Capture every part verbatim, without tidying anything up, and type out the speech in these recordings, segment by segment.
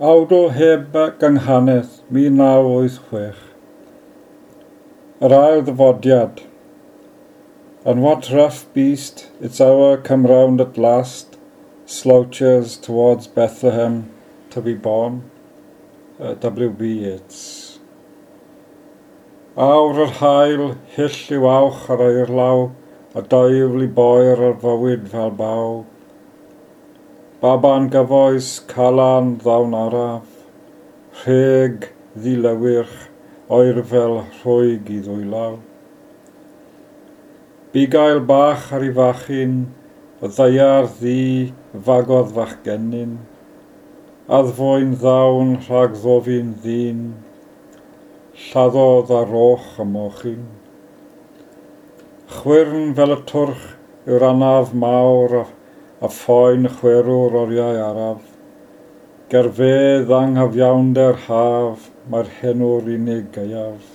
Awdl heb gynghanedd, mil naw wyth chwech. Yr ail ddyfodiad. And what rough beast, its hour come round at last, slouches towards Bethlehem to be born. Uh, W B Yeats. Awr yr haul, hyll yw awch ar eirlaw, a daifl i boer ar fywyd fel baw. Baban gyfoes, calan ddawn araf, rheg ddilewyrch, oerfel rhwyg i ddwylaw. Bugail bach ar ei fachyn, y ddaear ddu fagodd fachgennyn, addfwyn ddawn rhag ddofyn ddyn, lladdodd ar roch y mochyn. Chwyrn fel y twrch yw'r anaf mawr a phoen chwerw'r oriau araf. Gerfedd anghyfiawnder haf, mae'r henw'r unig gaeaf.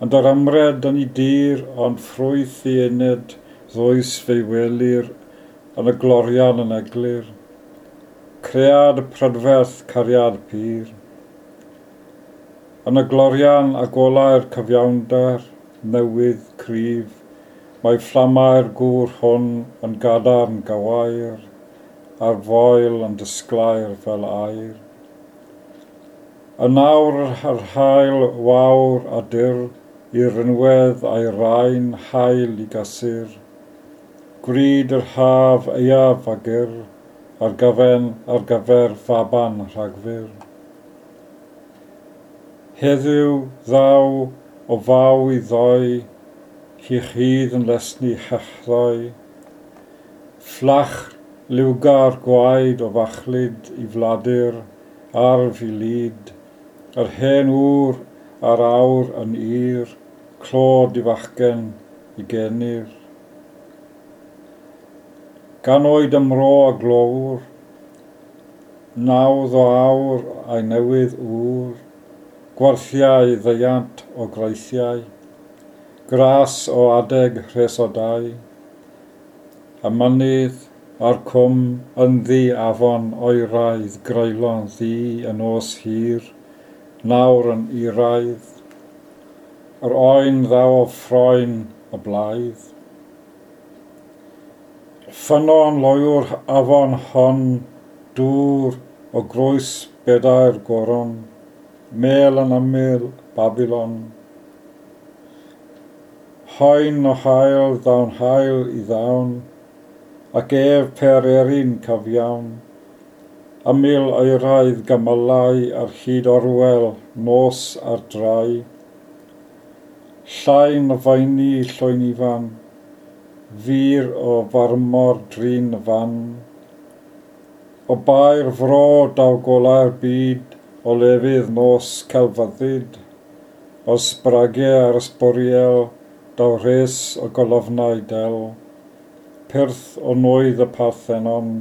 Ond yr ymred yn ei dir, ond ffrwyth ei ened, ddwys fe'i welir, yn y glorian yn eglur. Cread prydferth cariad pur. Yn y glorian a golau'r cyfiawnder, newydd cryf, mae fflamau'r gŵr hwn yn gadarn gawair, a'r foel yn disglair fel aur. Yn awr yr haul wawr a dyr, i'r rinwedd a'i rain hael i gasur. Gwryd yr haf aeaf a gyr, ar gyfen ar gyfer faban Rhagfyr. Heddiw ddaw o faw i ddoi, hi chydd yn lesni hechdoi. Fflach liwgar gwaed o fachlud i fladur, arf i lid, yr hen ŵr a'r awr yn ir, clod i fachgen i genir. Gan oed ymro a glowr, nawdd o awr a'i newydd ŵr, gwarthiau ddeiant o graithiau, gras o adeg rhes o dai, y mynydd a'r cwm ynddi afon oeraidd greulon ddu y nos hir, nawr yn iraidd, yr oen ddaw o ffroen y blaidd. Ffynnon loyw'r afon hon, dŵr o groes bedair goron, mêl yn ymyl Babilon. Hoen o haul ddawn haul i ddawn, ac ef per erin cyfiawn. Ymyl oeraidd gymylau ar hyd orwel, nos ar drai. Llain o faeni llwyn ifan, fur o farmor drin y fan. O bair fro daw golau'r byd, o lefydd nos celfyddyd, o sbragau ar ysbwriel, daw rhes o golofnau del. Pyrth o nwydd y Parthenon,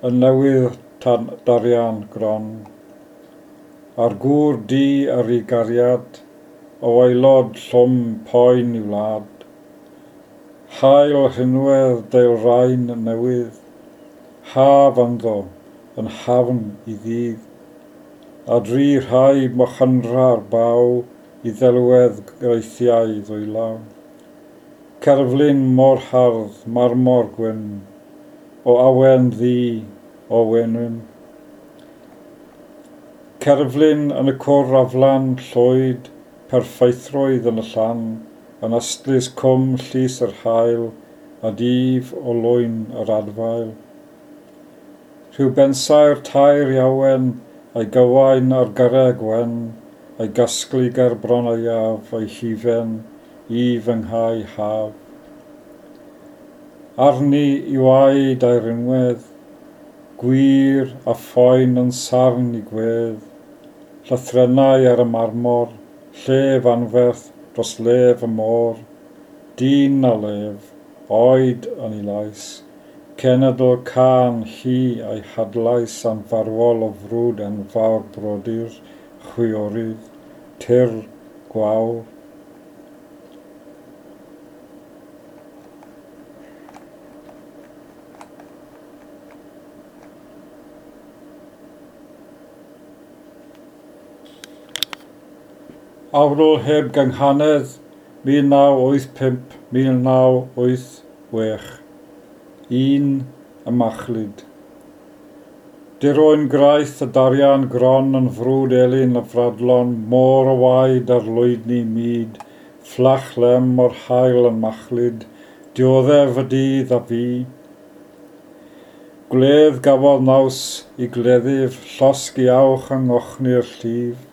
y newydd tan darian gron. A'r gŵr du ar ei gariad, o aelod llwm poen i wlad. Haul rhinwedd deilrain newydd, haf ynddo, yn hafn i ddydd. A dri rhai mochynra'r baw i ddelwedd greithiau ddwylaw. Cerflun mor hardd, marmor gwyn, o awen ddu, o wenwyn. Cerflun yn y cwr aflan llwyd, perffeithrwydd yn y llan, yn ystlys cwm llys yr haul, a dyf o lwyn yr adfail. Rhyw bensaer tair iawen, a'i gywain ar garreg wen, a'i gasglu ger bron aeaf, a'i hufen i fy nghau haf. Arni i waed a'i rinwedd, gwir a phoen yn sarn i gwedd, llythrennau ar y marmor, llef anferth dros lef y môr, dyn a lef, oed yn ei lais, cenedl cân hi a'i hadlais anfarwol o frwd enfawr brodyr, chwiorydd, tir gwawr. Awdl heb gynghanedd mil naw wyth pump mil naw wyth chwech. Un y machlud. Dirwyn graith y darian gron yn frwd elin y fradlon, môr o waed ar lwydni mud, fflach lem o'r haul yn machlud, dioddef y dydd a fi. Gwledd gafodd naws i gleddyf, llosg i awch yng ngochni'r llif.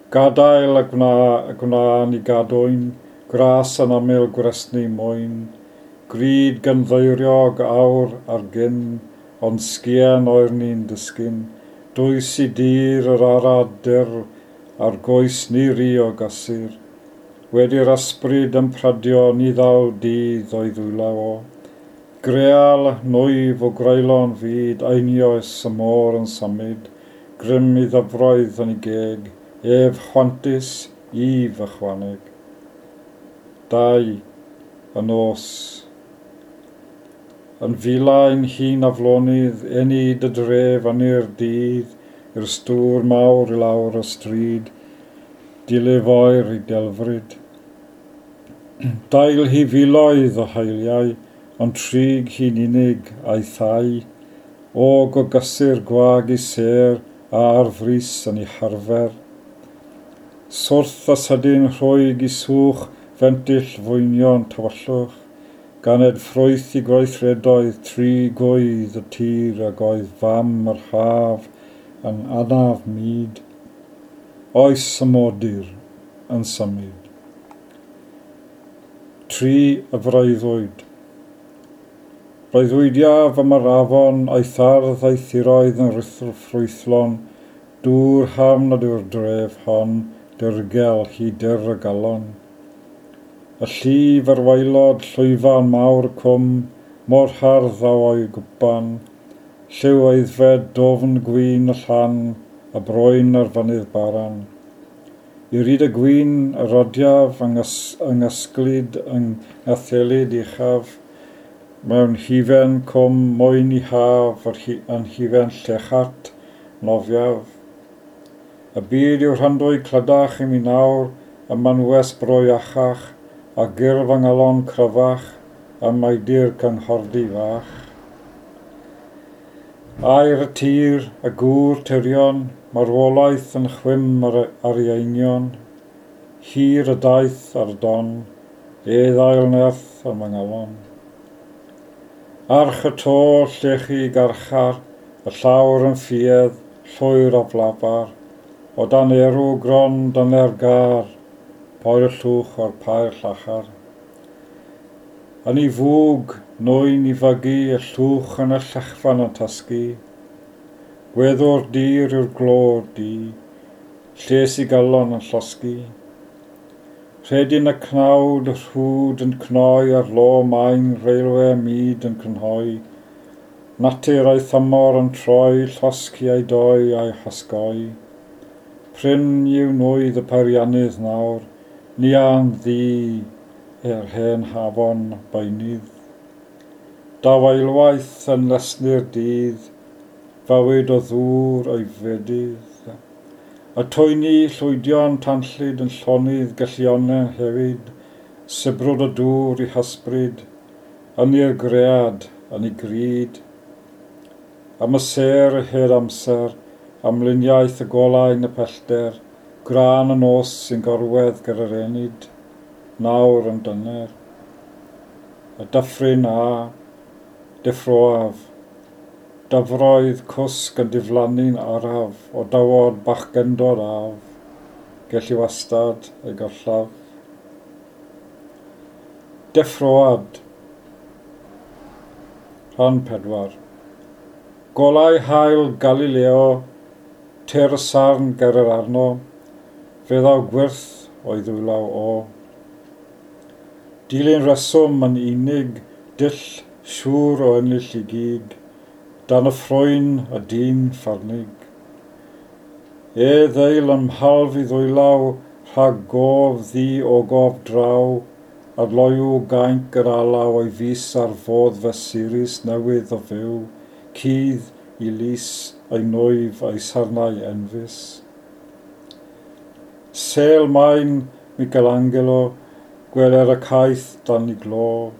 Gadael y gwna, y gwna ni gadwyn, gras yn ymyl gwresni mwyn, gryd gynddeiriog awr ar gyn, ond sgien oer ni'n disgyn, dwys i dir yr arad dyr, a'r goes ni ri o gysur. Wedi'r ysbryd yn pradio, ni ddaw dydd o'i ddwylaw o. Greal nwyf o greulon fyd, einioes y môr yn symud, grym i ddyfroedd yn ei geg, ef chwantus, if ychwaneg. Dau, y nos. Yn filain hun aflonydd, enid y dref ynni'r dydd, i'r stŵr mawr i lawr y stryd, dilif oer i delfryd. Dail hi filoedd o haeliau, ond trig hi'n unig a'i thai, o gogysur gwag i sêr a ar frys yn ei harfer. Swrth a sydyn rhwyg i swch fentyll fwynion tywyllwch, ganed ffrwyth i gweithredoedd tri gwydd y tir ag oedd fam yr haf yn anaf mud, oes y modur yn symud. Tri y freuddwyd. Breuddwydiaf am yr afon a'i thardd a'i thiroedd yn rhuthr ffrwythlon, dŵr hafn nad yw'r dref hon, dirgel hi dyr y galon. Y llif ar waelod llwyfan mawr y cwm, mor hardd a o'i gwpan, lliw aeddfed dofn gwin y llan, a broen ar fynydd baran. I ryd y gwin y rodiaf yng ysglyd yng ngathelyd uchaf, mewn hufen cwm mwyn i haf yn hufen llechart nofiaf. Y byd yw rhandwy clydach i mi nawr, y manwes broiachach, a gyrf yng ngalon cryfach, a maidir cynghordi fach. Aer y tir, y gŵr tirion, marwolaeth yn chwim ar, ar ei eingion, hir y daith ar don, e ddail nerth am yng ngalon. Arch y to, llechi garchar, y llawr yn ffiedd, llwyr o flafar, o dan erw gron dan er gar, poer y llwch o'r pair llachar. Yn ei fwg, nwyn i fygu, y llwch yn y llechfan yn tasgu. Gweddw'r dir yw'r glor di, lles i galon yn llosgi. Rhedyn y cnawd, y rhwd yn cnoi ar lo maen, reilwe mud yn cynhoi. Natur a'i thymor yn troi, llosgi a'i doi a'i hosgoi. Prin yw nwydd y peiriannydd nawr, ni a'n ddi er hen hafon beunydd. Daw eilwaith yn lesni'r dydd, fywyd o ddŵr o'i fedydd. Y twyni llwydion tanllyd yn llonydd gellionen hefyd, sibrwd y dŵr i hysbryd, yn i'r gread, yn ei gryd. Am y sêr y hyd amser, am luniaeth y golau yn y pellter, grân y nos sy'n gorwedd gyda'r enid, nawr yn dyner. Y dyffryn a, deffroaf, dyfroedd cwsg yn diflannu'n araf, o dywod bachgendod af, gelli wastad ei gollaf. Deffroad, rhan pedwar. Golau haul Galileo, tir y sarn ger yr arno, fe ddaw gwyrth o'i ddwylaw o. Dilyn reswm yn unig, dull siŵr o ennill i gyd, dan y ffrwyn y dyn ffarnig. E ddeil yn mhalf i ddwylaw, rhag gof ddi o gof draw, adloyw gainc yr alaw o'i fus ar fodd fesurus newydd o fyw, cudd i lys ei nwyf a'i sarnau enfys. Sel maen Michelangelo, gweler y caeth dan i glo,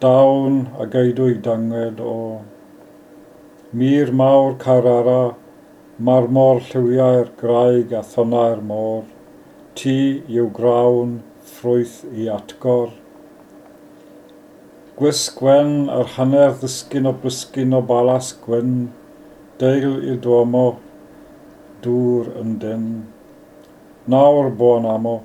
dawn a geidw i danged o. Mur mawr Carrara, marmor lliwiau'r graig a thonnau'r môr, ti yw grawn ffrwyth i atgor. Gwisg wen ar hanner ddisgyn o blisgyn o balas gwyn, deil il Duomo, dŵr yn dyn. Nawr bo'n amo,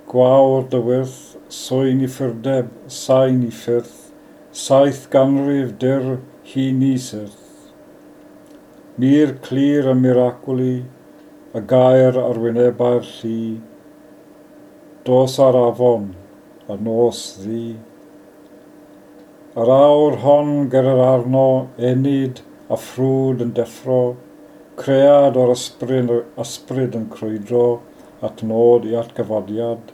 gwawr dy wyrth, swyn i ffyrdeb, sain i ffyrth, saith ganrif dyr hi ni syrth. Mur clir y miraculi, y gair ar wynebau'r llu, dos ar afon, a nos ddu. Yr awr hon ger yr arno, enid a ffrwd yn deffro, cread o'r ysbryd, ysbryd yn crwydro at nod i atgyfodiad,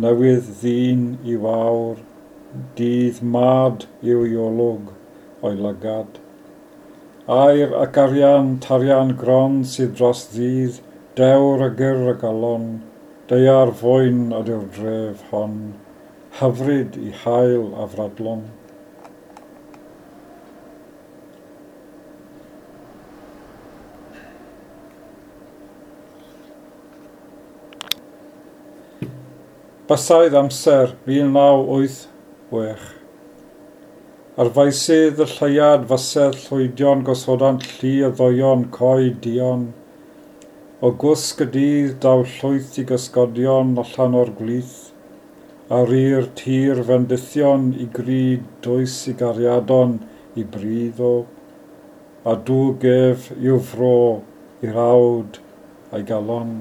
newydd ddyn i wawr, dydd mad yw i olwg o'i lygad. Aur ac arian, tarian gron sydd dros ddydd, dewr a gyr y galon, daear fwyn ydyw'r dref hon, hyfryd i haul a fradlon. Bysaidd amser mil naw wyth chwech. Ar faesydd y lleuad fysedd llwydion gosodant llu o ddoion coed duon. O gwsg y dydd daw llwyth i gysgodion allan o'r gwlith, a rŷr tir fendithion i gryd dwys i gariadon i bridd o, a dwg ef i'w fro i'r awd a'i galon.